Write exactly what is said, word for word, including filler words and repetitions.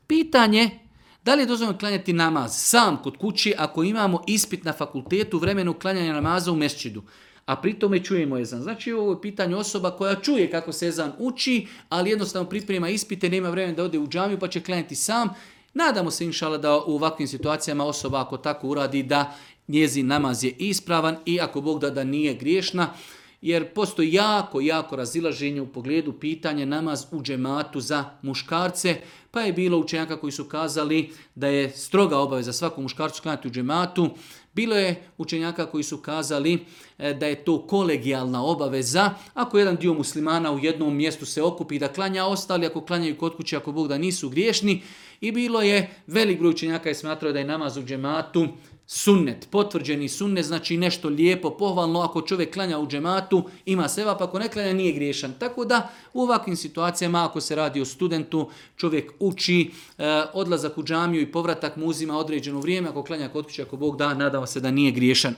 Pitanje, da li je dozvoljeno klanjati namaz sam kod kući ako imamo ispit na fakultetu u vremenu klanjanja namaza u mesčidu, a pri tome čujemo ezan. Znači ovo je pitanje osoba koja čuje kako se ezan uči, ali jednostavno priprema ispite, nema vremena da ode u džamiju pa će klanjati sam. Nadamo se inšala da u ovakvim situacijama osoba ako tako uradi da njezin namaz je ispravan i ako Bog da da nije griješna. Jer postoji jako, jako razilaženje u pogledu pitanja namaz u džematu za muškarce, pa je bilo učenjaka koji su kazali da je stroga obaveza svakom muškarcu klanjati u džematu. Bilo je učenjaka koji su kazali da je to kolegijalna obaveza. Ako jedan dio muslimana u jednom mjestu se okupi da klanja, ostali ako klanjaju kod kuće, ako Bog da nisu griješni. I bilo je velik broj učenjaka i smatrao da je namaz u džematu sunnet, potvrđeni sunnet, znači nešto lijepo, pohvalno, ako čovjek klanja u džematu, ima sevap, ako ne klanja nije griješan. Tako da u ovakvim situacijama, ako se radi o studentu, čovjek uči, e, odlazak u džamiju i povratak mu uzima određeno vrijeme, ako klanja kod kuće, ako Bog da, nadamo se da nije griješan.